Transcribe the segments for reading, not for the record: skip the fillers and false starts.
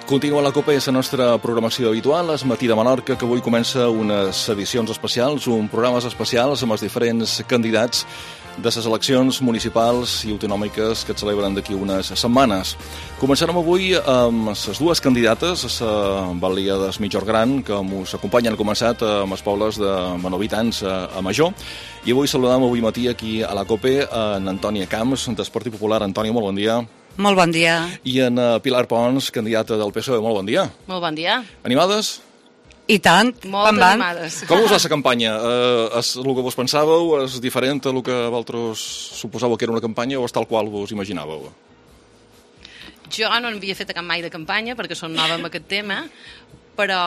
Continua la Copa, és la nostra programació habitual, és Matí de Menorca, que avui comença unes edicions especials, programes especials amb els diferents candidats de les eleccions municipals i autonòmiques que es celebren d'aquí unes setmanes. Començarem avui amb les dues candidates a la Balia del Migjorn Gran, que ens acompanyen. Han començat amb els pobles de Manovitans a Major, i avui saludam avui matí aquí a la COPE en Antònia Camps, del Partit Popular. Antònia, molt bon dia. Molt bon dia. I en Pilar Pons, candidata del PSOE. Molt bon dia. Molt bon dia. Animades? I tant. Molt animades. Com us va la campanya? És el que vos pensàveu? És diferent del que vosaltres suposàveu que era una campanya o és tal qual vos imaginàveu? Jo no n'havia fet cap mai de campanya perquè som nova amb aquest tema, però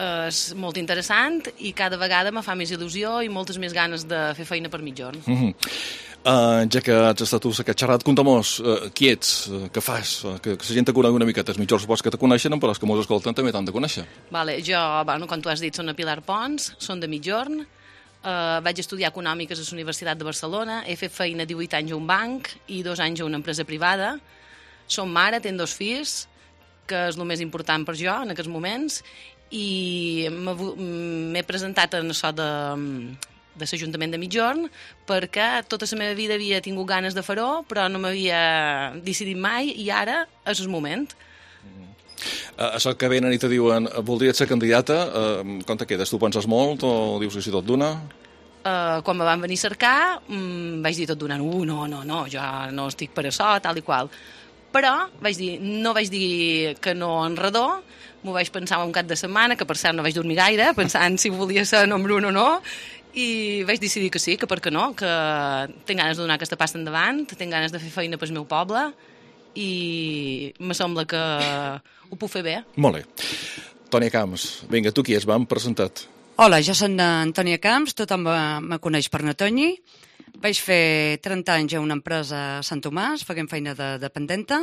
és molt interessant i cada vegada me fa més il·lusió i moltes més ganes de fer feina per Migjorn. Ja que has estat tu aquest xerrat, conta-mos qui ets, què fas, que la gent te conegui una miqueta. Els Migjorns suposo que te coneixen, però els que mos escolten també t'han de conèixer. Jo, com tu has dit, soc la Pilar Pons, soc de Migjorn, vaig estudiar Econòmiques a la Universitat de Barcelona, he fet feina 18 anys a un banc i 2 anys a una empresa privada. Som mare, tenc 2 fills, que és el més important per jo en aquests moments, i m'he presentat en això de l'Ajuntament de Migjorn perquè tota la meva vida havia tingut ganes de fer-ho, però no m'havia decidit mai i ara és el moment. Això que venen i te diuen voldries ser candidata, com te quedes? Tu penses molt o dius que si tot d'una? Quan me van venir a cercar vaig dir tot d'una, no, jo no estic per això, tal i qual. Però no vaig dir que no en redó, m'ho vaig pensar un cap de setmana, que per cert no vaig dormir gaire, pensant si volia ser número 1 o no, i vaig decidir que sí, que per què no, que tinc ganes de donar aquesta passa endavant, tinc ganes de fer feina pel meu poble i me sembla que ho puc fer bé. Molt bé. Antònia Camps, vinga, tu qui és? Vam presentat. Hola, jo soc Antònia Camps, tothom me coneix per Natoni. Vaig fer 30 anys a una empresa a Sant Tomàs, fent feina de dependenta.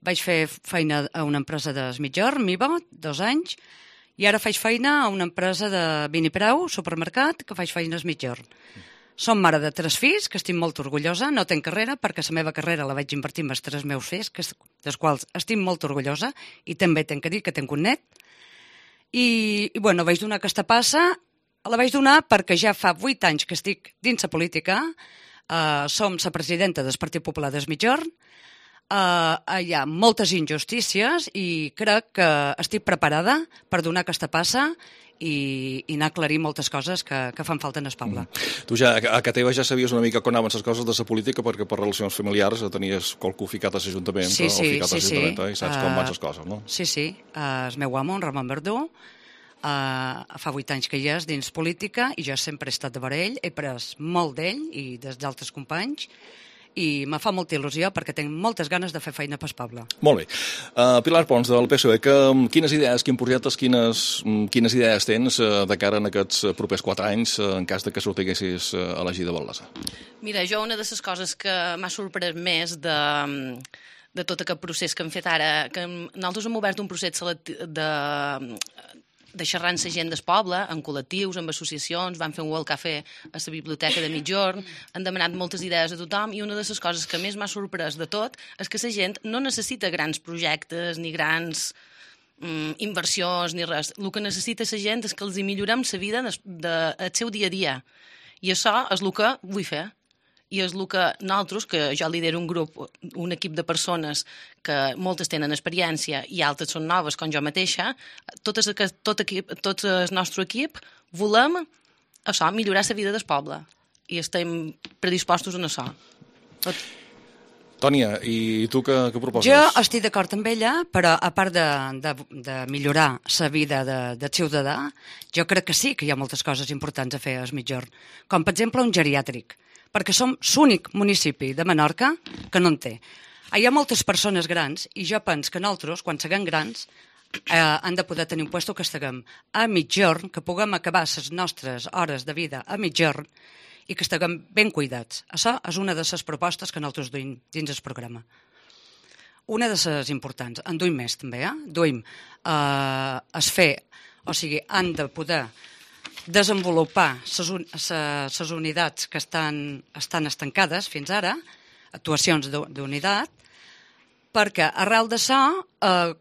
Vaig fer feina a una empresa de Migjorn, Miva, 2 anys. I ara faig feina a una empresa de Vinipreu, supermercat, que faig feina a Migjorn. Som mare de 3 fills, que estic molt orgullosa. No tenc carrera, perquè la meva carrera la vaig invertir en els 3 meus fills, dels quals estic molt orgullosa, i també tenc que dir que tinc un net. I vaig donar aquesta passa, la vaig donar perquè ja fa 8 anys que estic dins la política, som la presidenta del Partit Popular de Migjorn, hi ha moltes injustícies i crec que estic preparada per donar aquesta passa i anar a aclarir moltes coses que fan falta en el poble. Tu ja, a casa teva ja sabies una mica com anaven les coses de la política perquè per relacions familiars tenies qualcú ficat a l'Ajuntament o ficat a l'Ajuntament i saps com van les coses, no? Sí, el meu amo, en Ramon Verdú, fa 8 anys que hi és dins política i jo sempre he estat de vora ell, he pres molt d'ell i dels altres companys i me fa molta il·lusió perquè tinc moltes ganes de fer feina pel poble. Molt bé. Pilar Pons, del PSOE, quines idees, quins projectes, quines idees tens de cara en aquests propers 4 anys en cas de que sortiguessis elegida alcaldessa? Mira, jo una de les coses que m'ha sorprès més de tot aquest procés que hem fet ara, que nosaltres hem obert un procés de xerrar amb la gent del poble, amb col·lectius, amb associacions, vam fer un World Café a la biblioteca de Migjorn, han demanat moltes idees a tothom i una de les coses que més m'ha sorprès de tot és que la gent no necessita grans projectes ni grans inversions ni res. El que necessita la gent és que els hi millorem la vida del seu dia a dia i això és el que vull fer. I és el que nosaltres, que jo lidero un grup, un equip de persones que moltes tenen experiència i altres són noves, com jo mateixa, tot el nostre equip volem això, millorar la vida del poble. I estem predispostos a això. Tònia, i tu què proposes? Jo estic d'acord amb ella, però a part de millorar la vida del ciutadà, jo crec que sí que hi ha moltes coses importants a fer a Migjorn, com per exemple un geriàtric, perquè som l'únic municipi de Menorca que no en té. Hi ha moltes persones grans i jo penso que nosaltres, quan siguem grans, han de poder tenir un lloc que estiguem a Migjorn, que puguem acabar les nostres hores de vida a Migjorn i que estiguem ben cuidats. Això és una de les propostes que nosaltres duim dins el programa. Una de les importants. En duim més, també, Duim han de poder desenvolupar les unitats que estan estancades fins ara, actuacions d'unitat, perquè arrel d'això,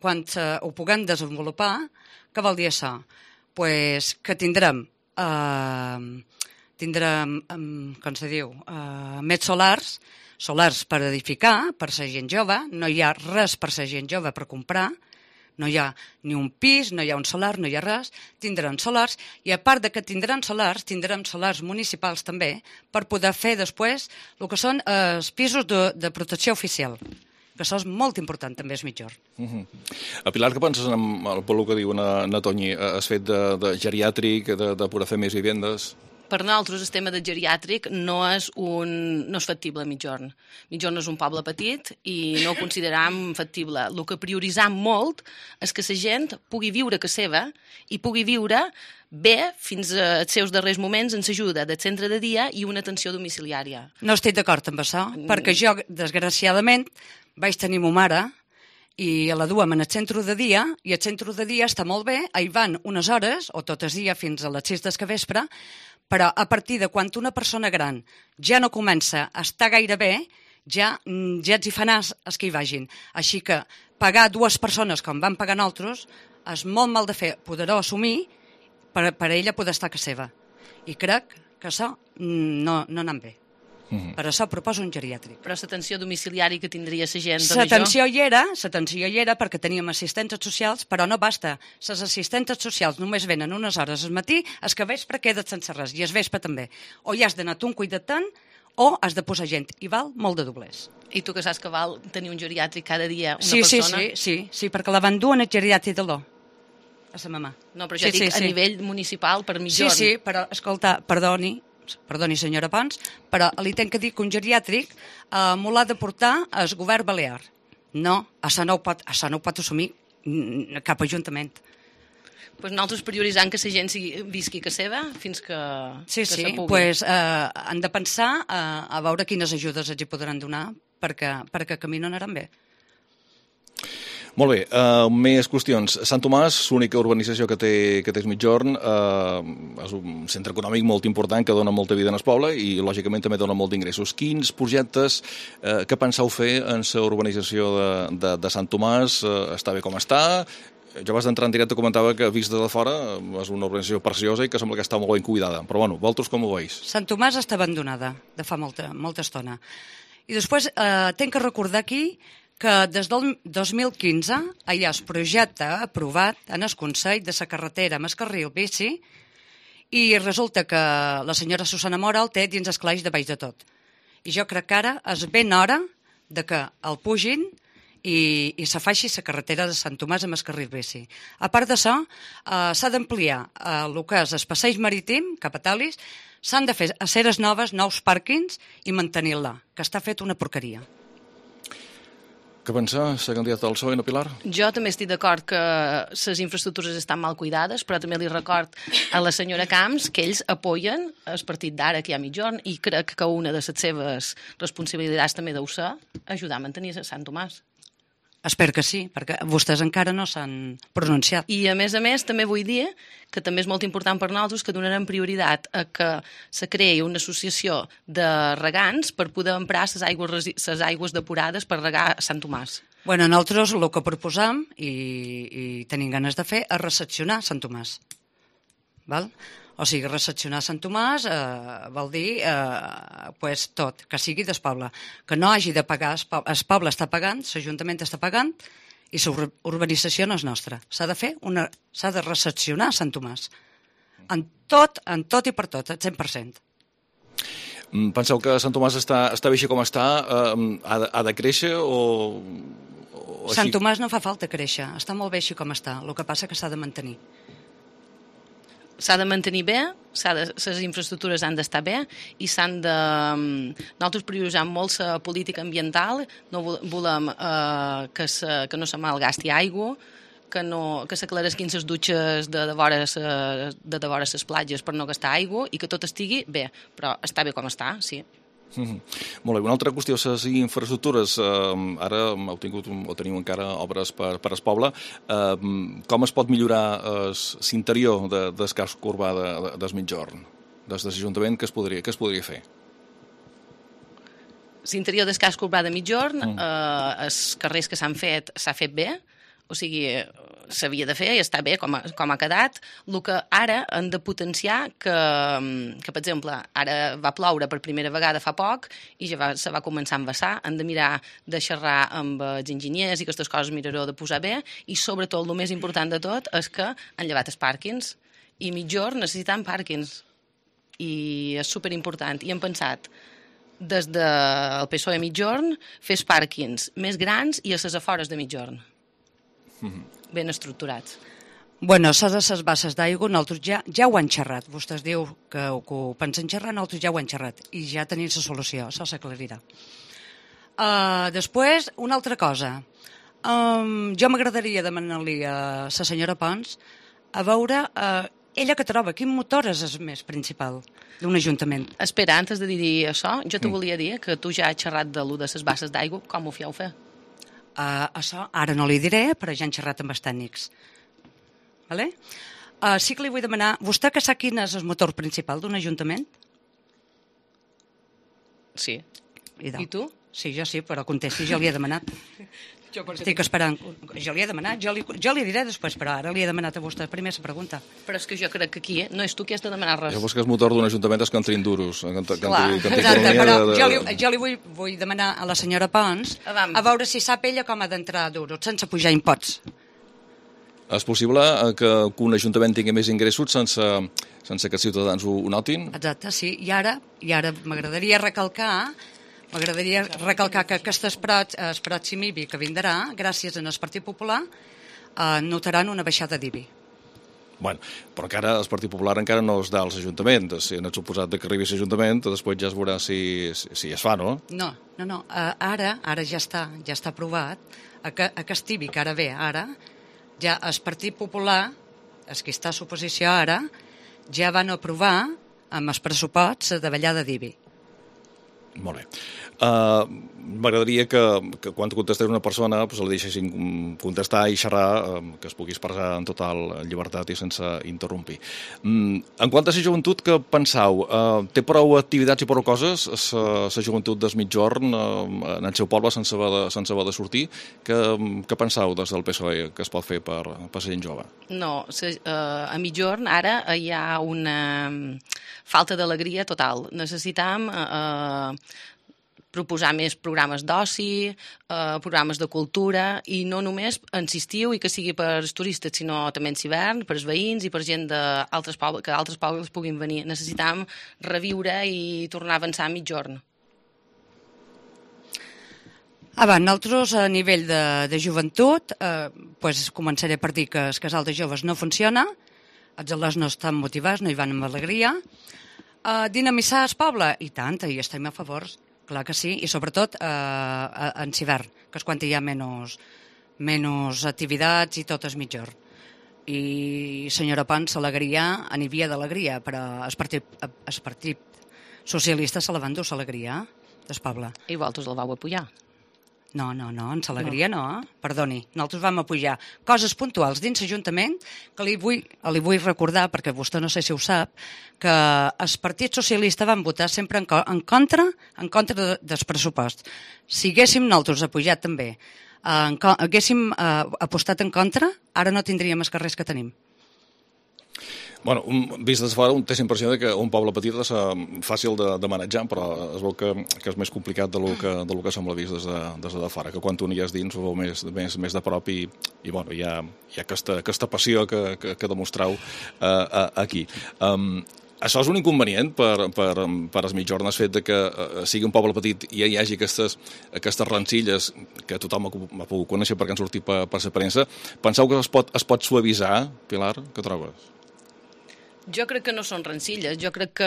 quan ho puguem desenvolupar, què vol dir això? Pues que tindrem, com se diu, més solars per edificar, per la gent jove, no hi ha res per la gent jove per comprar, no hi ha ni un pis, no hi ha un solar, no hi ha res, tindran solars, i a part de que tindran solars municipals també, per poder fer després el que són els pisos de protecció oficial, que això és molt important també és Migjorn. Pilar, què penses pel que diu na Toñi? Has fet de geriàtric, de poder fer més vivendes? Per nosaltres el tema del geriàtric no és factible a Migjorn. Migjorn és un poble petit i no ho consideram factible. El que prioritzam molt és que la gent pugui viure a casa seva i pugui viure bé fins als seus darrers moments en l'ajuda del centre de dia i una atenció domiciliària. No estic d'acord amb això, perquè jo, desgraciadament, vaig tenir ma mare i la duem en el centre de dia, i el centre de dia està molt bé, hi van unes hores, o tot el dia fins a les 6 del vespre, però a partir de quan una persona gran ja no comença a estar gaire bé, ja els hi fa nas els que hi vagin. Així que pagar 2 persones com van pagar nosaltres és molt mal de fer, poder-ho assumir per ella poder estar a casa seva. I crec que això no anem bé. Per això proposo un geriàtric. Però l'atenció domiciliària que tindria la gent... L'atenció hi era perquè teníem assistents socials, però no basta. Les assistents socials només venen unes hores al matí, el que vespre queda sense res, i el vespre també. O ja has d'anar tu un cuidatant, o has de posar gent, i val molt de doblers. I tu que saps que val tenir un geriàtric cada dia una persona? Sí, perquè la van dur en el geriàtric de l'O, a la mamà. No, però jo dic a nivell municipal per Migjorn. Sí, però, escolta, perdoni senyora Pons, però li tenc que dir que un geriàtric m'ho l'ha de portar el govern balear. No, això no ho pot assumir cap ajuntament. Pues nosaltres prioritzant que la gent visqui a casa seva fins que se pugui. Sí, pues han de pensar a veure quines ajudes els hi podran donar perquè camí no anaran bé. Molt bé, més qüestions. Sant Tomàs, l'única urbanització que té Migjorn, és un centre econòmic molt important que dona molta vida en el poble i, lògicament, també dona molt d'ingressos. Quins projectes que penseu fer en la urbanització de Sant Tomàs? Està bé com està? Jo abans d'entrar en directe comentava que, vist des de fora, és una urbanització preciosa i que sembla que està molt ben cuidada. Però, bueno, vosaltres com ho veus? Sant Tomàs està abandonada de fa molta estona. I després tinc que recordar aquí que des del 2015 hi ha el projecte aprovat en el Consell de la carretera amb el carril bici i resulta que la senyora Susana Mora el té dins el calaix de baix de tot. I jo crec que ara és ben hora de que el pugin i se faci la carretera de Sant Tomàs amb el carril bici. A part d'això, s'ha d'ampliar el que és el passeig marítim cap a Talis, s'han de fer aceres noves, nous pàrquings i mantenir-la, que està fet una porqueria. Què pensa la candidata del PSOE, Pilar? Jo també estic d'acord que les infraestructures estan mal cuidades, però també li record a la senyora Camps que ells apoyen el partit d'ara que hi ha a Migjorn i crec que una de les seves responsabilitats també deu ser ajudar a mantenir Sant Tomàs. Espero que sí, perquè vostès encara no s'han pronunciat. I a més, també vull dir que també és molt important per nosaltres que donarem prioritat a que se creï una associació de regants per poder emprar les aigües depurades per regar Sant Tomàs. Bueno, nosaltres el que proposam i tenim ganes de fer és recepcionar Sant Tomàs. Val? O sigui, recepcionar Sant Tomàs vol dir tot, que sigui del poble. Que no hagi de pagar, el poble està pagant, l'Ajuntament està pagant i la urbanització no és nostra. S'ha de recepcionar Sant Tomàs. En tot i per tot, al 100%. Penseu que Sant Tomàs està bé així com està? Ha de créixer o així? Sant Tomàs no fa falta créixer, està molt bé així com està. El que passa que s'ha de mantenir. S'ha de mantenir bé, les infraestructures han d'estar bé i s'han de... Nosaltres prioritzem molt la política ambiental, no volem que no se malgasti aigua, que s'aclaresquin les dutxes de vora les platges per no gastar aigua i que tot estigui bé, però està bé com està, sí. Molt bé, una altra qüestió, les infraestructures, ara teniu encara obres per al poble, com es pot millorar l'interior del casc urbà de Migjorn? Des de l'Ajuntament, què es podria fer? l'interior del casc urbà de Migjorn, els carrers que s'ha fet bé, o sigui, s'havia de fer i està bé com ha quedat. El que ara han de potenciar que, per exemple, ara va ploure per primera vegada fa poc i ja se va començar a embassar. Han de mirar de xerrar amb els enginyers i aquestes coses miraró de posar bé, i sobretot el més important de tot és que han llevat els pàrquings, i Migjorn necessitant pàrquings, i és superimportant. I hem pensat des del PSOE Migjorn fer els pàrquings més grans i a les afores de Migjorn. Ben estructurats. Bueno, això de les basses d'aigua, nosaltres ja ho han xerrat. Vostès diu que ho pensen xerrar, nosaltres ja ho han xerrat. I ja tenim la solució, això s'aclarirà. Després, una altra cosa. Jo m'agradaria demanar-li a la senyora Pons a veure ella que troba quin motor és el més principal d'un ajuntament. Espera, antes de dir això, jo te volia dir que tu ja has xerrat de lo de les basses d'aigua, com ho fieu fer? Això ara no li diré, però ja han xerrat amb els tècnics. Vale? Sí que li vull demanar, vostè que sap quin és el motor principal d'un ajuntament? Sí. I tu? Sí, jo sí, però contesti, jo li he demanat. Estic esperant. Jo li he demanat, jo li diré després, però ara li he demanat a vostè primer la pregunta. Però és que jo crec que aquí no és tu qui has de demanar res. Llavors que el motor d'un ajuntament és que entrin duros. Clar, exacte, però jo li vull demanar a la senyora Pons a veure si sap ella com ha d'entrar duros, sense pujar impots. És possible que un ajuntament tingui més ingressos sense que els ciutadans ho notin? Exacte, sí. I ara m'agradaria recalcar que aquest pròxim IBI que vindrà, gràcies al Partit Popular, notaran una baixada d'IBI. Bueno, però encara el Partit Popular encara no es dà als ajuntaments. Si han suposat que arribi a l'Ajuntament, després ja es veurà si es fa, no? No. Ara ja està aprovat. Aquest IBI que ara ve, ja el Partit Popular, els que està a l'oposició ara, ja van aprovar amb els pressuposts de davallada d'IBI. Molt bé. M'agradaria que quan contestés una persona la deixessin contestar i xerrar, que es pugui expressar en total llibertat i sense interrompir. En quant a la joventut, què penseu? Té prou activitats i prou coses la joventut del Migjorn en el seu poble sense haver de sortir? Què penseu des del PSOE que es pot fer per la gent jove? No, a Migjorn ara hi ha una falta d'alegria total. Necessitam proposar més programes d'oci, programes de cultura, i no només en l'estiu i que sigui per als turistes, sinó també en l'hivern, per als veïns i per gent d'altres pobles, que altres pobles puguin venir. Necessitam reviure i tornar a avançar a Migjorn. Nosaltres, a nivell de joventut, començaré per dir que el casal de joves no funciona, els alumnes no estan motivats, no hi van amb alegria. Dinamitzar el poble? I tant, hi estem a favor. Clar que sí, i sobretot en l'hivern, que és quan hi ha menys activitats i tot és Migjorn. I senyora Pons, l'alegria, n'hi havia d'alegria, però el Partit Socialista se la van dur l'alegria del poble. I vosaltres el vau apoyar? No, en l'alegria no. Perdoni, nosaltres vam apujar coses puntuals dins l'Ajuntament que li vull recordar, perquè vostè no sé si ho sap, que el Partit Socialista van votar sempre en contra del pressupost. Si haguéssim nosaltres apujat també, haguéssim apostat en contra, ara no tindríem els carrers que tenim. Bueno, vist des de fora, té la impressió que un poble petit és fàcil de manejar, però es veu que és més complicat del que sembla vist des de fora, que quan tu n'hi has dins ho veu més de prop i bueno, hi ha aquesta passió que demostrau aquí. Això és un inconvenient per els Migjorn, el fet que sigui un poble petit i hi hagi aquestes rencilles que tothom ha pogut conèixer perquè han sortit per la premsa. Penseu que es pot suavitzar, Pilar? Què trobes? Jo crec que no són rencilles, jo crec que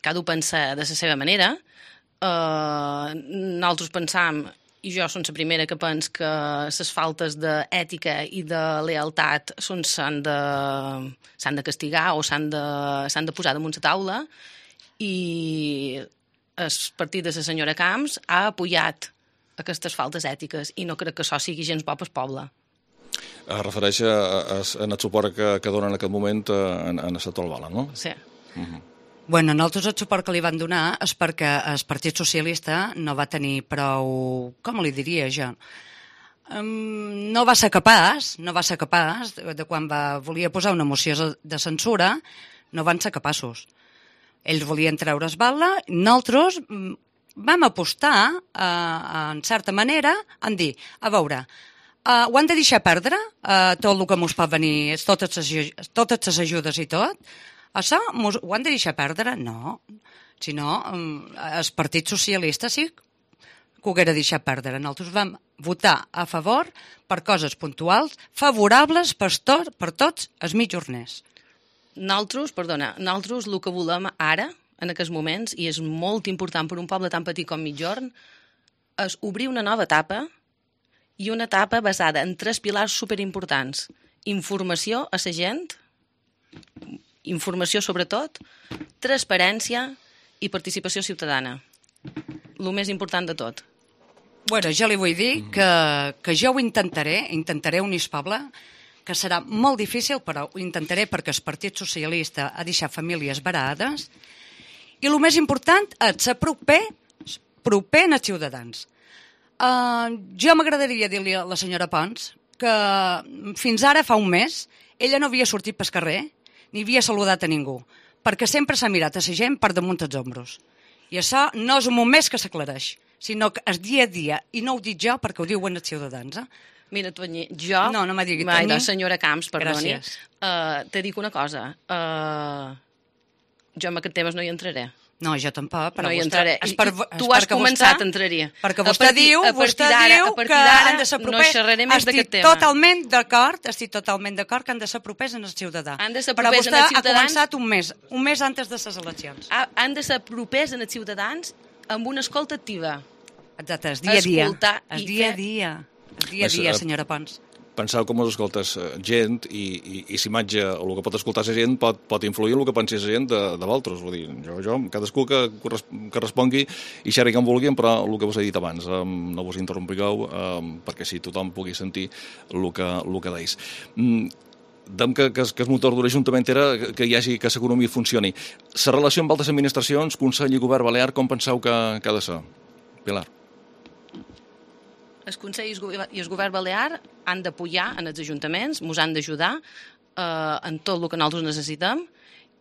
cada un pensa de la seva manera. Nosaltres pensam, i jo som la primera que penso que les faltes d'ètica i de lealtat s'han de castigar o s'han de posar damunt la taula, i el partit de la senyora Camps ha apoyat aquestes faltes ètiques i no crec que això sigui gens bo pel poble. Es refereix en el suport que donen en aquest moment en el sector Albala, no? Sí. Bueno, nosaltres el suport que li van donar és perquè el Partit Socialista no va tenir prou, com li diria jo, no va ser capaç de quan volia posar una moció de censura, no van ser capaços. Ells volien treure's bala, nosaltres vam apostar, en certa manera, en dir, a veure, ho han de deixar perdre, tot el que ens pot venir, totes les ajudes i tot, això ho han de deixar perdre? No. Si no, el Partit Socialista sí que ho haguera deixat perdre. Nosaltres vam votar a favor per coses puntuals, favorables per tots els mitjorners. Nosaltres el que volem ara, en aquests moments, i és molt important per un poble tan petit com Migjorn, és obrir una nova etapa, i una etapa basada en 3 pilars superimportants. Informació a la gent, informació sobretot, transparència i participació ciutadana. El més important de tot. Bueno, jo li vull dir que jo ho intentaré unir el poble, que serà molt difícil, però ho intentaré perquè el Partit Socialista ha deixat famílies varades, i el més important és ser proper als ciutadans. Jo m'agradaria dir-li a la senyora Pons que fins ara, fa un mes, ella no havia sortit pel carrer ni havia saludat a ningú, perquè sempre s'ha mirat a la gent per damunt els ombros. I això no és un moment que s'aclareix, sinó que és dia a dia, i no ho dic jo perquè ho diuen els ciutadans. Mira, Toñi, jo... No me digui Toñi. Senyora Camps, perdoni. Gràcies. Te dic una cosa. Jo en aquest temes no hi entraré. No, jo tampoc, però no hi vostè... Tu has començat, entraria. Perquè vostè diu que han de ser propers. No xerraré més d'aquest tema. Estic totalment d'acord que han de ser propers en el ciutadà. Han de ser propers en els ciutadans. Però vostè ha començat un mes antes de les eleccions. Han de ser propers en els ciutadans amb una escolta activa. Exacte, és dia a dia. És dia a dia, senyora Pons. Penseu com us escoltes gent i s'imatge, o el que pot escoltar la gent pot influir en el que pensi la gent de vosaltres. Vull dir, jo cadascú que respongui i xerri com vulguin, però el que vos he dit abans, no vos interrompiu, perquè si tothom pugui sentir el que deis. Dem que el motor de l'Ajuntament era que l'economia funcioni. La relació amb altres administracions, Consell i Govern Balear, com penseu que ha de ser? Pilar. El Consell i el Govern Balear han d'apoyar en els ajuntaments, ens han d'ajudar en tot el que nosaltres necessitem,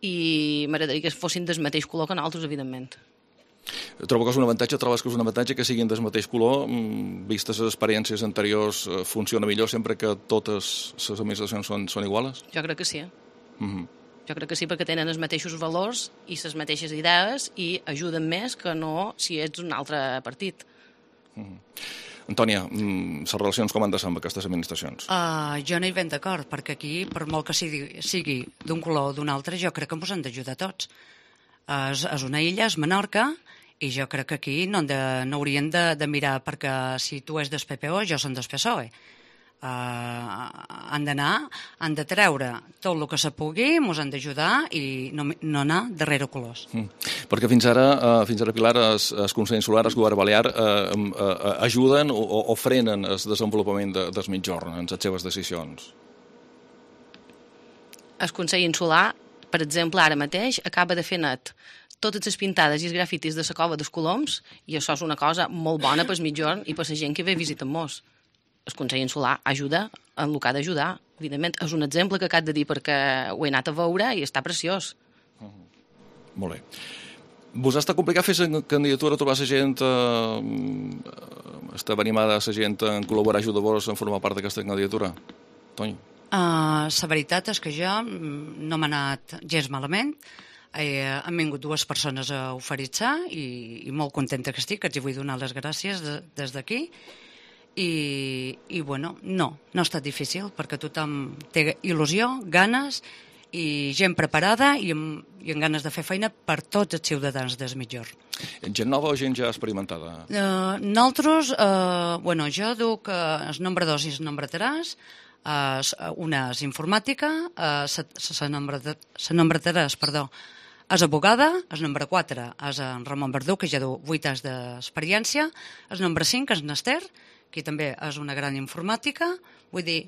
i m'agradaria que fossin del mateix color que nosaltres, evidentment. Trobo que és un avantatge, trobes que és un avantatge que siguin del mateix color, vistes les experiències anteriors, funciona millor sempre que totes les administracions són iguales? Jo crec que sí. Jo crec que sí, perquè tenen els mateixos valors i les mateixes idees i ajuden més que no si ets un altre partit. Antònia, les relacions com han de ser amb aquestes administracions? Jo no hi ben d'acord, perquè aquí, per molt que sigui d'un color o d'un altre, jo crec que ens han d'ajudar tots. És una illa, és Menorca, i jo crec que aquí no haurien de mirar perquè si tu és del PPO, jo som del PSOE. Han de treure tot el que se pugui, ens han d'ajudar i no anar darrere colors. Perquè fins ara, Pilar, el Consell Insular, el Govern Balear, ajuden o frenen el desenvolupament del Migjorn en les seves decisions? El Consell Insular, per exemple, ara mateix acaba de fer net totes les pintades i els grafitis de la cova dels Coloms, i això és una cosa molt bona per el Migjorn i per la gent que ve a visitar-nos. El Consell Insular ajuda en el que ha d'ajudar. Evidentment, és un exemple que acabo de dir perquè ho he anat a veure i està preciós. Molt bé. Vos està complicat fer la candidatura, trobar la gent, estar animada la gent en col·laborar, ajudar-vos en formar part d'aquesta candidatura? Toni? La veritat és que jo no m'ha anat gens malament. Han vingut 2 persones a oferir-se i molt contenta que estic, que els vull donar les gràcies des d'aquí. I bueno, no ha estat difícil perquè tothom té il·lusió, ganes i gent preparada i amb ganes de fer feina per tots els ciutadans del Migjorn. Gent nova o gent ja experimentada? Nosaltres, jo duc el nombre 2 i el nombre 3, una és informàtica, la nombre 3, és abogada, el nombre 4 és en Ramon Verdú, que ja du 8 anys d'experiència, el nombre 5 és Nester, que també és una gran informàtica, vull dir,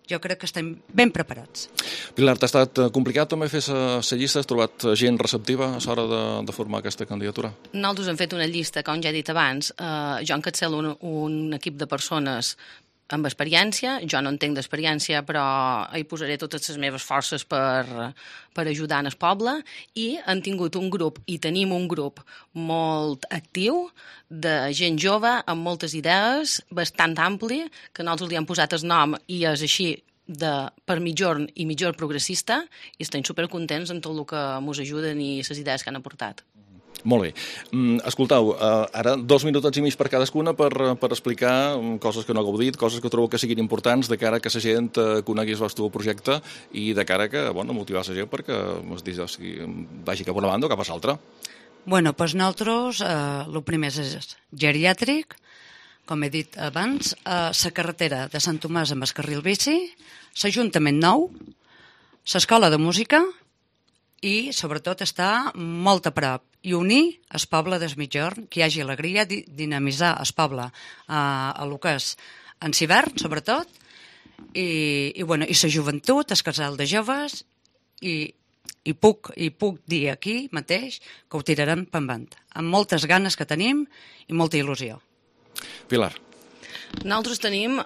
jo crec que estem ben preparats. Pilar, t'ha estat complicat també fer la llista? Has trobat gent receptiva a l'hora de formar aquesta candidatura? Nosaltres hem fet una llista, com ja he dit abans, jo encapçalo un equip de persones amb experiència, jo no en tinc d'experiència, però hi posaré totes les meves forces per ajudar en el poble, i han tingut un grup, i tenim un grup molt actiu de gent jove amb moltes idees, bastant ampli, que nosaltres li hem posat el nom i és així per Migjorn i Migjorn Progressista, i estem supercontents en tot el que ens ajuden i les idees que han aportat. Molt bé. Escoltau, ara 2 minutets i mig per cadascuna per explicar coses que no hagueu dit, coses que trobo que siguin importants de cara que la gent conegui el vostre projecte i de cara que, motivar la gent perquè vagi cap a una banda o cap a l'altra. Bueno, doncs nosaltres, el primer és geriàtric, com he dit abans, la carretera de Sant Tomàs amb el carril bici, l'Ajuntament Nou, l'escola de música i, sobretot, està molt a prop i unir el poble del Migjorn, que hi hagi alegria, dinamitzar el poble a lo que és en l'hivern, sobretot, i la joventut, el casal de joves, i puc dir aquí mateix que ho tirarem per endavant, amb moltes ganes que tenim i molta il·lusió. Pilar. Nosaltres tenim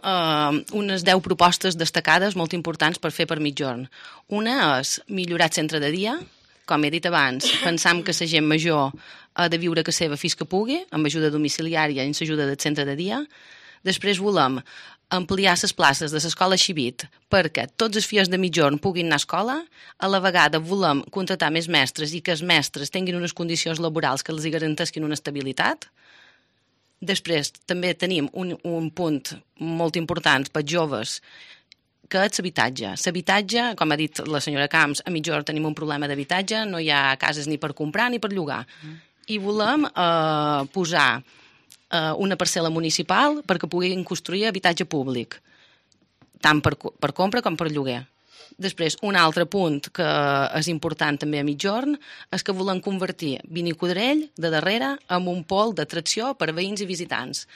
unes 10 propostes destacades molt importants per fer per Migjorn. Una és millorar el centre de dia. Com he dit abans, pensam que la gent major ha de viure a casa seva fins que pugui, amb ajuda domiciliària i amb l'ajuda del centre de dia. Després volem ampliar les places de l'escola Xivit perquè tots els fills de Migjorn puguin anar a escola. A la vegada volem contratar més mestres i que els mestres tinguin unes condicions laborals que els garanteixin una estabilitat. Després també tenim un punt molt important per joves, que és l'habitatge. L'habitatge, com ha dit la senyora Camps, a Migjorn tenim un problema d'habitatge, no hi ha cases ni per comprar ni per llogar. I volem posar una parcel·la municipal perquè puguin construir habitatge públic, tant per compra com per lloguer. Després, un altre punt que és important també a Migjorn és que volem convertir Vinicodrell de darrere en un pol d'atracció per veïns i visitants.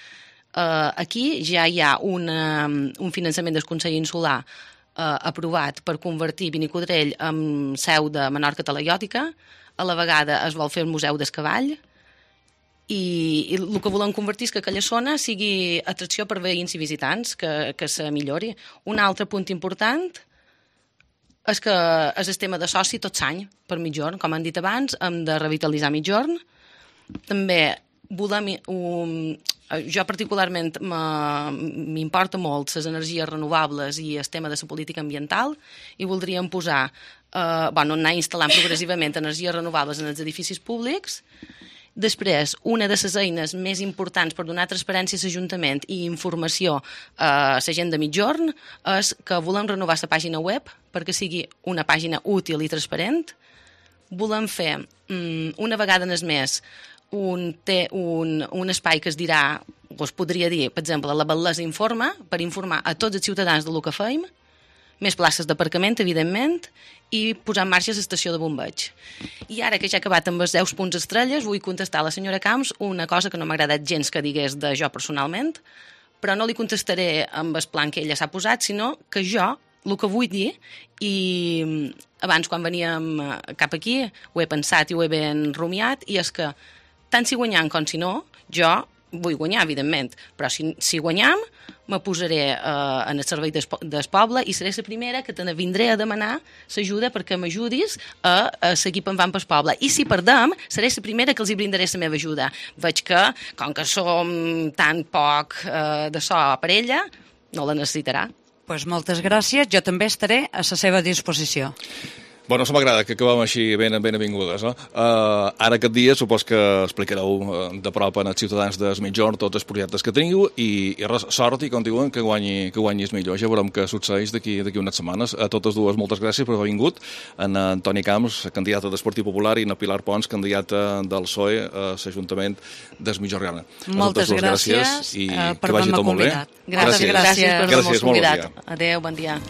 Aquí ja hi ha un finançament del Consell Insular aprovat per convertir Vinicodrell en seu de Menorca Talaiòtica. A la vegada es vol fer el Museu del Cavall i el que volem convertir és que aquella zona sigui atracció per veïns i visitants, que se millori. Un altre punt important és que és el tema de soci tot l'any per Migjorn. Com han dit abans, hem de revitalitzar Migjorn. També volem... Jo particularment m'importa molt les energies renovables i el tema de la política ambiental i voldríem posar, anar instal·lant progressivament energies renovables en els edificis públics. Després, una de les eines més importants per donar transparència a l'Ajuntament i informació a la gent de Migjorn és que volem renovar la pàgina web perquè sigui una pàgina útil i transparent. Volem fer, una vegada en el mes, un espai que es dirà, o es podria dir, per exemple, la Batlesa Informa, per informar a tots els ciutadans del que feim, més places d'aparcament, evidentment, i posar en marxa l'estació de bombeig. I ara que ja he acabat amb els 10 punts estrelles, vull contestar a la senyora Camps una cosa que no m'ha agradat gens que digués de jo personalment, però no li contestaré amb el plan que ella s'ha posat, sinó que jo, el que vull dir, i abans quan veníem cap aquí ho he pensat i ho he ben rumiat, i és que tant si guanyam com si no, jo vull guanyar, evidentment, però si guanyam, me posaré en el servei del poble i seré la primera que te vindré a demanar l'ajuda perquè m'ajudis a seguir pensant pel poble. I si perdem, seré la primera que els hi brindaré la meva ajuda. Veig que, com que som tan poc de so per ella, no la necessitarà. Doncs moltes gràcies, jo també estaré a la seva disposició. Bueno, això m'agrada, que acabem així ben avingudes. No? Ara aquest dia supos que explicareu de prop als ciutadans de Migjorn tots els projectes que teniu i res, sort i com diuen que guanyis millor. Ja veurem què succeeix d'aquí unes setmanes. A totes dues, moltes gràcies per haver vingut. En Antoni Camps, candidata del Partit Popular, i en Pilar Pons, candidata del PSOE a l'Ajuntament de Migjorn. Moltes gràcies i per haver-me convidat. Gràcies per haver-me convidat. Adéu, bon dia.